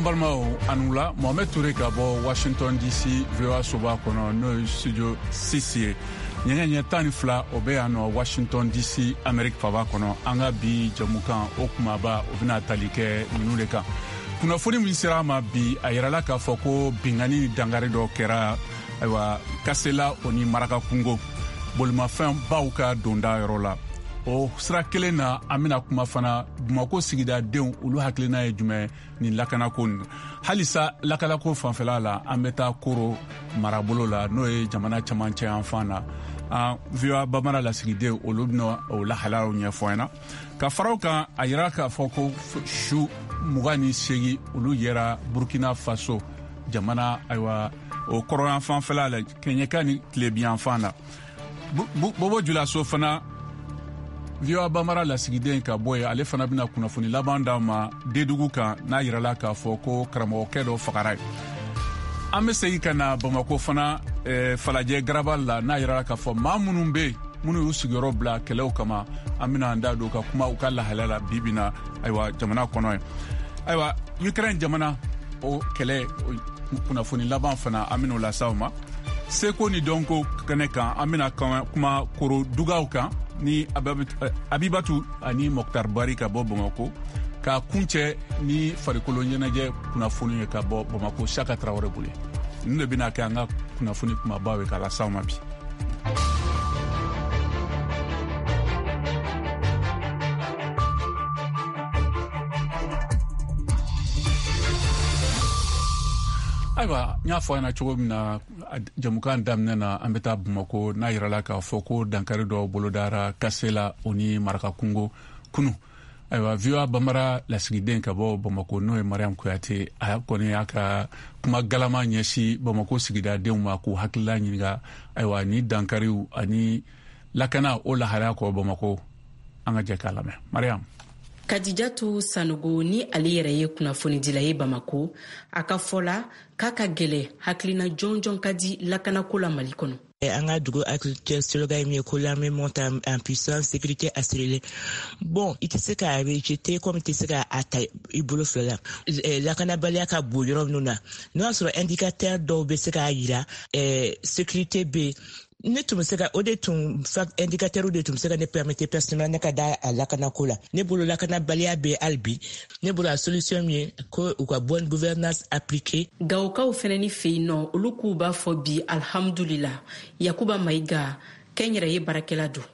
Balimaw, a ni wula. Mohamed Toure ka bɔ Washington DC, VOA soba kɔnɔ, n'o ye studio 6 ye. Ɲɛgɛ ɲɛ 12, o bɛ yan nɔ Washington DC, Amerique faba kɔnɔ. An ka bi jɛmukan o kumaba, o bɛna tali kɛ ninnu de kan. Kunnafoni min sera an ma bi, a yirala k'a fɔ ko binkanni ni dankari dɔ kɛra, ayiwa, Kasela o ni Maraka kungo bolimafɛn baw ka donda yɔrɔ la. O sira kelen na, an bɛna kuma fana Bamako sigidadenw, olu hakilina ye jumɛn nin lakanako nin. Halisa lakanako fanfɛla la, an bɛ taa Koro marabolo la, n'o ye jamana camancɛ yanfan na. An VOA Bambara lasigiden, olu bɛna o lahalayaw ɲɛfɔ an ɲɛna. Ka fara o kan, a yira k'a fɔ ko su 28, olu yera Burkina Faso jamana, ayiwa, o kɔrɔyan fanfɛla la, kɛɲɛka ni tilebiyanfan na. Bobo Julaso fana, VOA Bambara lasigiden ka bɔ yen, ale fana bɛna kunnafoni laban d'an ma Dedugu kan, n'a yirala k'a fɔ ko karamɔgɔkɛ dɔ fagara yen. An bɛ segin ka na Bamako fana, Falajɛ Garaba la, n'a yirala k'a fɔ maa minnu bɛ yen, minnu y'u sigiyɔrɔ bila kɛlɛw kama, an bɛna an da don ka kuma u ka lahalaya la bi bi na, ayiwa, jamana kɔnɔ yen. Ayiwa, Ukraine jamana, o kɛlɛ kunnafoni laban fana, an bɛn'o lase aw ma. Seko ni dɔnko kɛnɛ kan, an bɛna kuma Koro dugaw kan ni Abibatu ani Mɔktar Bari ka bɔ Bamako, ka kuncɛ ni farikolo ɲɛnajɛ kunnafoni ye ka bɔ Bamako, Saka Tarawele bolo. Ninnu de bɛna kɛ an ka kunnafoni kumabaw ye k'a lase aw ma bi. Ayiwa, n y'a fɔ a ɲɛna cogo min na jamukan daminɛ na, an bɛ taa Bamako, n'a yirala k'a fɔ ko dankari dɔ bolodara Kasela o ni Maraka kungo kunu. Ayiwa, VOA Bambara lasigiden ka bɔ Bamako, n'o ye Mariam Kuyate, a kɔni y'a ka kuma galama ɲɛsin Bamako sigidadenw ma k'u hakilila ɲininka, ayiwa, ni dankariw ani lakana o lahalaya kɔ Bamako. An ka jɛ k'a lamɛn. Mariam. Kadijatu Sanogo ni ale yɛrɛ ye kunnafonidila ye Bamako, a ka fɔ la k'a ka gɛlɛ hakilina jɔnjɔn ka di lakanako la Mali kɔnɔ. An ka dugu actuel slogan ye min ye ko l'armée monte en puissance, sécurité assurée. Bon, i tɛ se k'a rejeter comme i tɛ se k'a ta i bolo fila la. Lakanabaliya ka bon yɔrɔ minnu na, n'o y'a sɔrɔ indicateur dɔw bɛ se k'a yira sécurité bɛ yen, ne tun bɛ se ka o de tun indicateur de tun bɛ se ka ne permettre personnellement ne ka da a lakanako la. Ne bolo, lakanabaliya bɛ hali bi. Ne bolo, a solution min ye ko u ka bonne gouvernance appliquée. Gawokaw fɛnɛ ni fɛ yen nɔ, olu k'u b'a fɔ bi alhamdulila. Yakuba Mayiga, kɛnyɛrɛye baarakɛla don.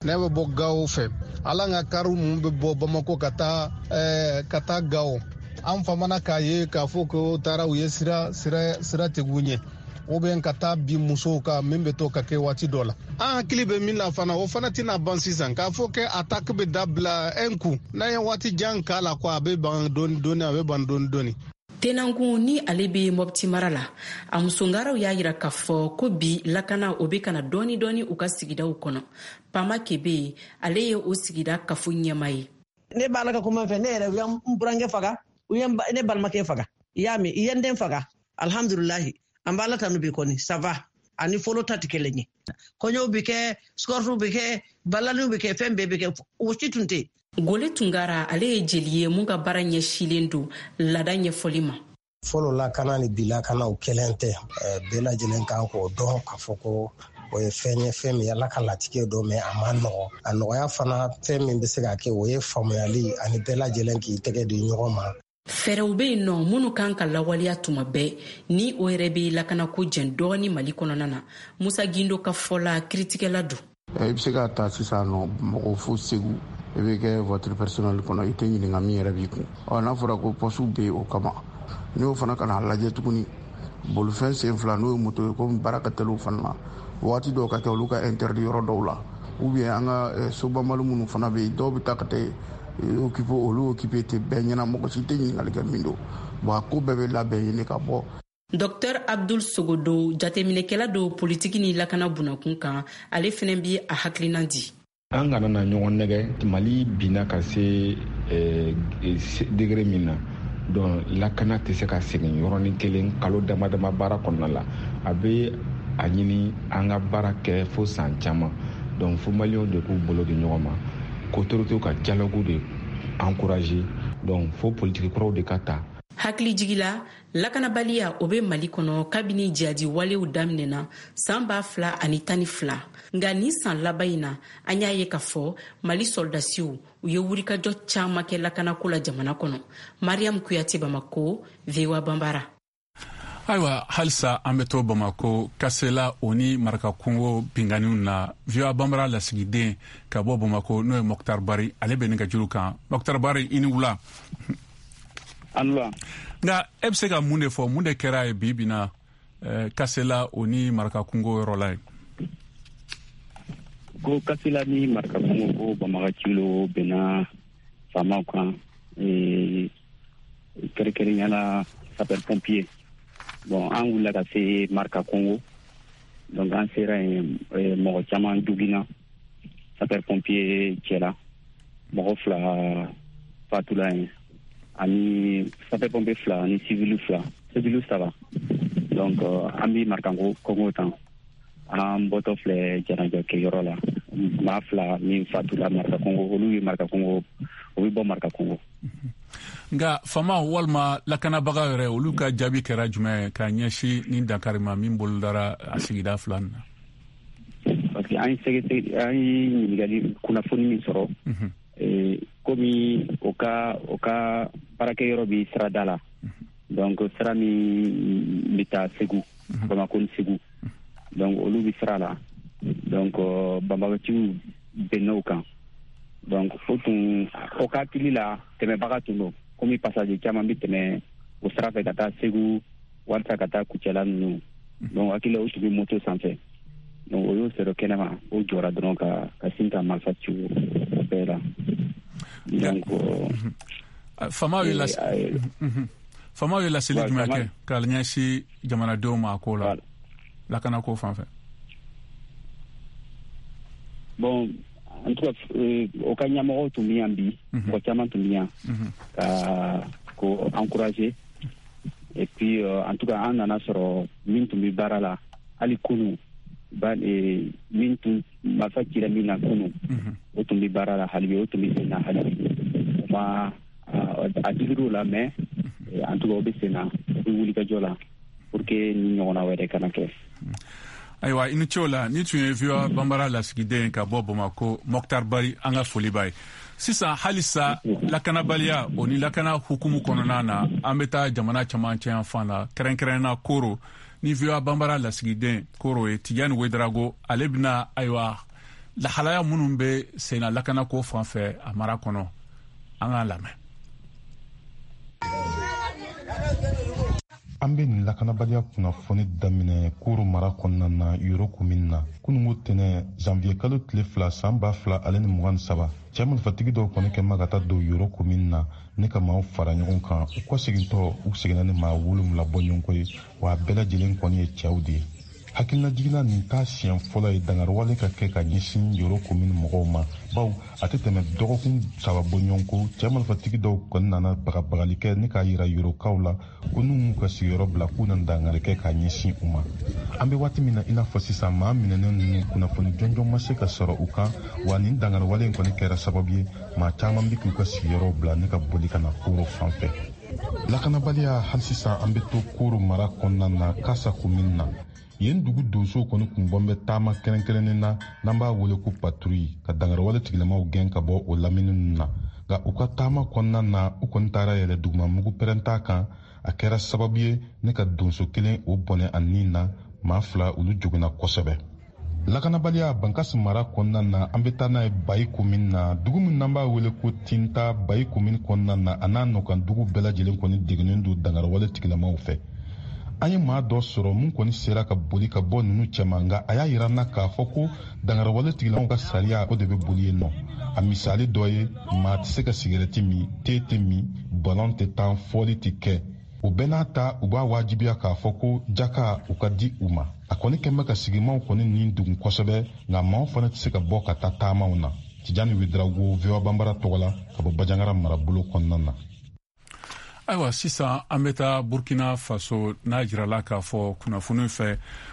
Ne bɛ bɔ Gawo fɛ. Ala ka kariw minnu bɛ bɔ Bamako ka taa Gawo, an famana k'a ye k'a fɔ ko taara u ye sira sira sira tigiw ɲɛ ou bien ka taa bi musow kan, min bɛ to ka kɛ waati dɔ la. An hakili bɛ min na fana, o fana tɛna ban sisan k'a fɔ kɛ attaque bɛ dabila un coup. N'an ye waati jan k'a la ko a bɛ ban dɔɔni dɔɔni, a bɛ ban dɔɔni dɔɔni. Tenangun ni ale bɛ Mɔpti mara la, a musongaraw y'a yira k'a fɔ ko bi lakana o bɛ kana dɔɔni dɔɔni u ka sigidaw kɔnɔ. Pama Kebe, ale ye o sigida kafo ɲɛma ye. Ne b'a la ka kuma fɛ, ne yɛrɛ, u ye n burankɛ faga, u ye ne balimakɛ faga, i y'a mɛn, i ye n den faga. Alhamdulilahi, an b'Ala tanu bi kɔni, ça va, ani fɔlɔ ta tɛ kelen ye. Kɔɲɔw bɛ kɛ, escortew bɛ kɛ, balaniw bɛ kɛ, fɛn bɛɛ bɛ kɛ, o si tun tɛ. Gole Tungara, ale ye jeli ye mun ka baara ɲɛsilen don laada ɲɛfɔli ma. Fɔlɔ lakana ni bi lakana, o kelen tɛ. Bɛɛ lajɛlen kan k'o dɔn k'a fɔ ko o ye fɛn ye, fɛn min Ala ka latigɛ dɔ mɛ a ma nɔgɔ. A nɔgɔya fana, fɛn min bɛ se ka kɛ, o ye faamuyali ani bɛɛ lajɛlen k'i tɛgɛ di ɲɔgɔn ma. Fɛɛrɛw bɛ yen nɔ minnu kan ka lawaleya tuma bɛɛ, ni o yɛrɛ bɛ lakanako jɛn dɔɔni Mali kɔnɔna na. Musa Gindo ka fɔ la, kiritigɛla don. I bɛ se k'a ta sisan nɔ mɔgɔ fo Segu, i bɛ kɛ voiture personnelle kɔnɔ, i tɛ ɲininka min yɛrɛ b'i kun. Ɔ, n'a fɔra ko poste bɛ yen o kama, n'i y'o fana ka n'a lajɛ tuguni, bolifɛn sen fila, n'o ye moto ye, komi baara ka teli o fana na, waati dɔw ka kɛ olu ka interdit yɔrɔ dɔw la, ou bien an ka sobanbali minnu fana bɛ yen, dɔw bɛ taa ka taa occuper, olu occuper tɛ bɛɛ ɲɛna, mɔgɔ si tɛ ɲininkali kɛ min don. Bon, a ko bɛɛ bɛ labɛn ɲini ka bɔ. Dr Abdul Sogodo, jateminɛkɛla don politiki ni lakana bunakun kan, ale fɛnɛ bi a hakilinan di. An kana na ɲɔgɔn nɛgɛ. Mali binna ka se degré min na, donc lakana tɛ se ka segin yɔrɔnin kelen kalo dama dama baara kɔnɔna la. A bɛ a ɲini an ka baara kɛ fo san caman. Donc fo Maliyɛnw de k'u bolo di ɲɔgɔn ma, k'autorités ka dialogue de encourager. Donc fo politiki kuraw de ka ta. Hakilijigi la, lakanabaliya o bɛ Mali kɔnɔ kabini jihadi walew daminɛna san 2012. Nka nin san laban in na, an y'a ye k'a fɔ Mali sɔrɔdasiw, u ye wulikajɔ caman kɛ lakanako la jamana kɔnɔ. Mariam Kuyate, Bamako, VOA Banbara. Ayiwa, halisa an bɛ to Bamako, Kasela o ni Marakakungo binganiw na. VOA Banbara lasigiden ka bɔ Bamako, n'o ye Mɔkitar Bari, ale bɛ nin ka juru kan. Mɔkitar Bari, i ni wula. An. Nka e bɛ se ka mun de fɔ? Mun de kɛra ye bi bi na Kasela o ni Marakakungo yɔrɔ la ye? Ko Kasela ni Marakakungo, ko banbagaciw bɛnna faamaw kan, kɛrɛnkɛrɛnya la sapeur pompier. Bon, an wulila ka se Marka Kongo. Donc an sera yen, mɔgɔ caman joginna sapeur pompier cɛla, mɔgɔ fila fatula yen, ani sapeur pompier fila ani civil fila, civil saba. Donc an bi Marka Kongo tan, an bɔtɔ filɛ janajɛ kɛyɔrɔ la, maa fila min fatula Marka Kongo, olu ye Marka Kongo, o bɛ bɔ Marka Kongo. Nka fama walima lakanabaga yɛrɛ, olu ka jaabi kɛra jumɛn ye ka ɲɛsin nin dankari ma min bolodara a sigida fila nin na? Parce que an ye sɛgɛsɛgɛ, an ye ɲininkali, kunnafoni min sɔrɔ, komi o ka baarakɛyɔrɔ bi sirada la, donc sira min bɛ taa Segu, Bamako ni Segu, donc olu bi sira la. Donc banbagaciw bɛnn'o kan. Donc o tun o ka hakili la, tɛmɛbaga tun don, komi passager caman bɛ tɛmɛ o sira fɛ ka taa Segu walasa ka taa Kucala ninnu. Donc hakili la, o tun bɛ moto sanfɛ. Donc o y'o sɔrɔ kɛnɛma, o jɔra dɔrɔn ka sin ka marifa ci o bɛɛ la. Donc Faamaw ye laseli jumɛn kɛ ka ɲɛsin jamanadenw ma a ko la, lakanako fan fɛ? Bon, en tout cas, o ka ɲɛmɔgɔw tun bɛ yan bi, mɔgɔ caman tun bɛ yan ka ko encourager. Et puis en tout cas, an nana sɔrɔ min tun bɛ baara la hali kunu ba, min tun marifa cira min na kunu, o tun bɛ baara la hali bi, o tun bɛ sen na hali bi. O ma a digir'o la, mais en tout cas, o bɛ sen na, o bɛ wulikajɔ la pour que ni ɲɔgɔnna wɛrɛ kana kɛ. Ayiwa, i ni ce o la. Ni tun ye VOA Banbara lasigiden ka bɔ Bamako, Mɔkitar Bari, an ka foli b'a ye. Sisan, halisa lakanabaliya o ni lakana hukumu kɔnɔna na, an bɛ taa jamana camancɛ yan fan na, kɛrɛnkɛrɛnna Koro, ni VOA Banbara lasigiden Koro ye Tijani Wedarago, ale bɛna, ayiwa, lahalaya minnu bɛ senna lakanako fan fɛ a mara kɔnɔ, an k'a lamɛn. An bɛ nin lakanabaliya kunnafoni daminɛ Koro mara kɔnɔna na, Yoro komini na. Kunungo tɛnɛ, janvier kalo tile 2, san 2023, cɛɛ marifatigi dɔw kɔni kɛ ma ka taa don Yoro komini na ne ka maaw fara ɲɔgɔn kan. U kɔsegintɔ, u seginna ni maa 7 bɔɲɔgɔnko ye, wa a bɛɛ lajɛlen kɔni ye cɛw de ye. Hakilinajiginna, nin t'a siɲɛ fɔlɔ ye dangariwale ka kɛ ka ɲɛsin Yoro komini mɔgɔw ma, baw a tɛ tɛmɛ dɔgɔkun 3 bɔɲɔgɔnko, cɛɛ marifatigi dɔw kɔni nana bagabagali kɛ ni k'a yira Yorokaw la ko n'u m'u ka sigiyɔrɔ bila, k'u na dangari kɛ ka ɲɛsin u ma. An bɛ waati min na i n'a fɔ sisan, maa minɛnen ninnu, kunnafoni jɔnjɔn ma se ka sɔrɔ u kan, wa nin dangariwale in kɔni kɛra sababu ye maa caman bɛ k'u ka sigiyɔrɔw bila ne ka boli ka na Koro fan fɛ. Lakanabaliya, hali sisan an bɛ to Koro mara kɔnɔna na, Kasa komini na. Yen dugu donsow kɔni kun bɔn bɛ taama kɛrɛnkɛrɛnnen na, n'an b'a wele ko patrouille, ka dangariwale tigilamaw gɛn ka bɔ o lamini ninnu na. Nka u ka taama kɔnɔna na, u kɔni taara yɛlɛ dugumamugu pɛrɛnta kan. A kɛra sababu ye ne ka donso kelen o bɔnɛ a nin na, maa fila olu joginna kosɛbɛ. Lakanabaliya Bankasi mara kɔnɔna na, an bɛ taa n'a ye Bayi komini na, dugu min n'an b'a wele ko Tinta. Bayi komini kɔnɔna na, a n'a nɔkan dugu bɛɛ lajɛlen kɔni degunnen don dangariwale tigilamaw fɛ. An ye maa dɔ sɔrɔ mun kɔni sera ka boli ka bɔ ninnu cɛma, nka a y'a yira n na k'a fɔ ko dangariwale tigilamaw ka sariya o de bɛ boli yen nɔ. A misali dɔ ye, maa tɛ se ka sigɛrɛti min, te tɛ min, balɔn tɛ tan, fɔli tɛ kɛ. O bɛɛ n'a ta, u b'a wajibiya k'a fɔ ko jaka u ka di u ma. A kɔni kɛn bɛ ka sigimaw kɔni nin degun kosɛbɛ, nka maaw fana tɛ se ka bɔ ka taa taamaw na. Tijani Wedarago, VOA Banbara tɔgɔ la, ka bɔ Bajangara marabolo kɔnɔna na. Ayiwa, sisan an bɛ taa Burkina Faso, n'a jirala k'a fɔ kunnafoni fɛ.